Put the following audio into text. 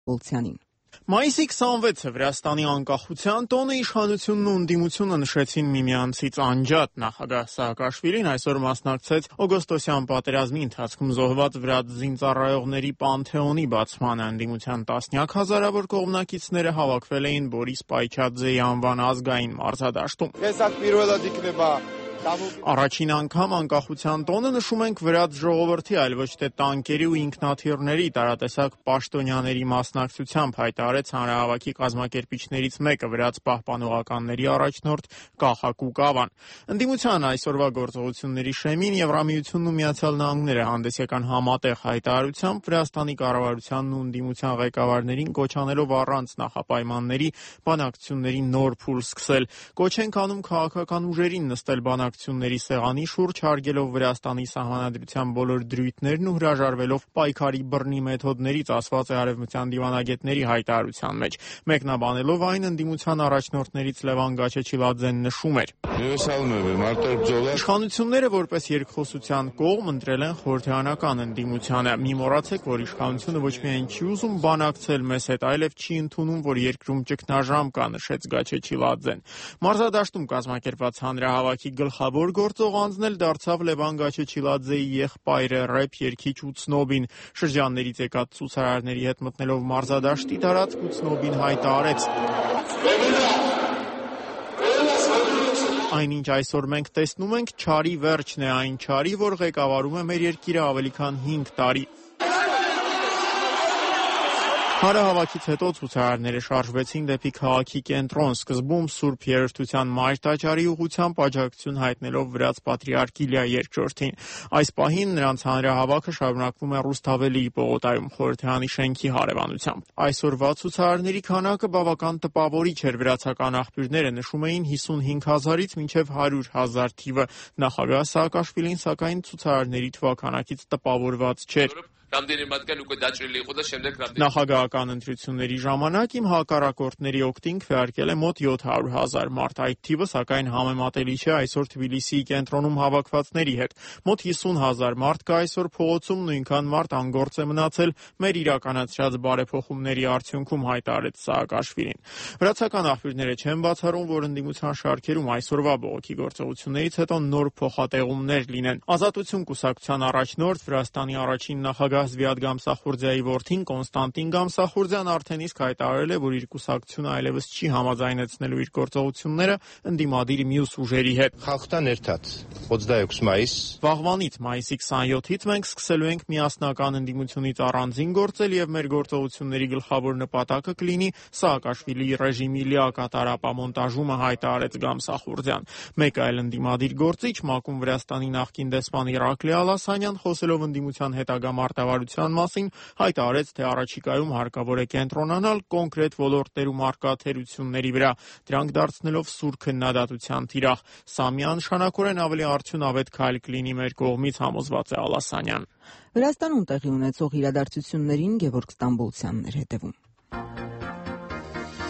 Ստամբոլցյանին։ Մայիսի 26-ը Վրաստանի անկախության տոնը իշխանությունն ու ընդդիմությունը նշեցին միմյանցից անջատ։ Նախագահ Սաակաշվիլին այսօր մասնակցեց օգոստոսյան պատերազմի ընթացքում զոհված վրաց զինծառայողների պանթեոնի բացմանը։ Ընդդիմության տասնյակ հազարավոր կողմնակիցները հավաքվել էին Բորիս Պայչաձեի անվան ազգային մարզադաշտում։ Առաջին անգամ անկախության տոնը նշում ենք վրաց ժողովրդի, այլ ոչ թե տանկերի ու ինքնաթիռների տարատեսակ պաշտոնյաների մասնակցությամբ, հայտարարեց հանրահավաքի կազմակերպիչներից մեկը, վրաց պահպանողականների առաջնորդ Կախակու Կավան։ Ընդդիմության այսօրվա գործողությունների շեմին Եվրամիությունն ու Միացյալ Նահանգները հանդես եկան համատեղ հայտարարությամբ Վրաստանի կառավարությանն ու ընդդիմության ղեկավարներին կոչ անելով առանց նախապայմանների բանակցությունների նոր փուլ սկսել։ Կոչ ենք անում քաղաքական ուժերին նստել բանակցությունների սեղանի շուրջ, հարգելով Վրաստանի սահմանադրության բոլոր դրույթներն ու հրաժարվելով պայքարի բռնի մեթոդներից, ասված է արևմտյան դիվանագետների հայտարարության մեջ։ Մեկնաբանելով այն, ընդդիմության առաջնորդներից Լևան Գաչեչիլաձեն նշում էր. Իշխանությունները որպես երկխոսության կողմ ընտրել են խորհրդարանական ընդդիմությանը։ Մի մոռացեք, որ իշխանությունը ոչ միայն չի ուզում բանակցել մեզ հետ, այլև չի ընդունում, որ երկրում ճգնաժամ կա, նշեց Գաչեչիլաձեն։ Մարզադաշտում կազմակերպված հանրահավաքի գլխավոր գործող անձն էլ դարձավ Լևան Գաչեչիլաձեի եղբայրը, ռեփ երգիչ Ուցնոբին։ Շրջաններից եկած ցուցարարների հետ մտնելով մարզադաշտի տարածք, Ուցնոբին հայտարարեց. Այնինչ այսօր մենք տեսնում ենք, չարի վերջն է այն չարի, որ ղեկավարում է մեր երկիրը ավելի քան 5 տարի։ Հանրահավաքից հետո ցուցարարները շարժվեցին դեպի քաղաքի կենտրոն, սկզբում Սուրբ Երրորդության Մայր տաճարի ուղղությամբ աջակցություն հայտնելով վրաց պատրիարք Իլիա II-ին։ Այս պահին նրանց հանրահավաքը շարունակվում է Ռուսթավելիի պողոտայում, խորհրդարանի շենքի հարևանությամբ։ Այսօրվա ցուցարարների քանակը բավական տպավորիչ էր։ Վրացական աղբյուրները նշում էին 55,000-ից մինչև 100,000 թիվը։ Նախագահ Սաակաշվիլին, սակայն, ցուցարարների թվաքանակից տպավորված չէր։ Նախագահական ընտրությունների ժամանակ իմ հակառակորդների օգտին քվեարկել է մոտ 700,000 մարդ։ Այդ թիվը, սակայն, համեմատելի չէ այսօր Թբիլիսիի կենտրոնում հավաքվածների հետ։ Մոտ 50,000 մարդ կա այսօր փողոցում, նույնքան մարդ անգործ է մնացել մեր իրականացրած բարեփոխումների արդյունքում, հայտարարեց Սաակաշվիլին։ Վրացական աղբյուրները չեն բացառում, որ ընդդիմության շարքերում այսօրվա բողոքի գործողություններից հետո նոր փոխատեղումներ լինեն։ Ազատություն կուսակցության առաջնորդ, Վրաստանի առաջին նախագահ Զվիադ Գամսախուրդիայի որդին Կոնստանտին Գամսախուրդյան արդեն իսկ հայտարարել է, որ իր կուսակցությունը այլևս չի համաձայնեցնելու իր գործողությունները ընդդիմադիր մյուս ուժերի հետ։ Վաղվանից մայիսի 27-ից մենք սկսելու ենք միասնական ընդդիմությունից առանձին գործել եւ մեր գործողությունների գլխավոր նպատակը կլինի Սաակաշվիլիի ռեժիմի լիակատար ապամոնտաժումը, հայտարարեց Գամսախուրդյան։ Մեկ այլ ընդդիմադիր գործիչ, ՄԱԿ-ում Վրաստանի նախկին դեսպան Իրակլի Ալասանյան, խոսելով ընդդիմության հետագա մարտավարության մասին, հայտարարեց, թե առաջիկայում հարկավոր է կենտրոնանալ կոնկրետ ոլորտներում առկա թերությունների վրա, դրանք դարձնելով սուր քննադատության թիրախ։ Սա միանշանակորեն ավելի արդյունավետ քայլ կլինի մեր կողմից, համոզված է Ալասանյան։ Վրաստանում տեղի ունեցող իրադարձություններին Գևորգ Ստամբոլցյանն էր հետևում։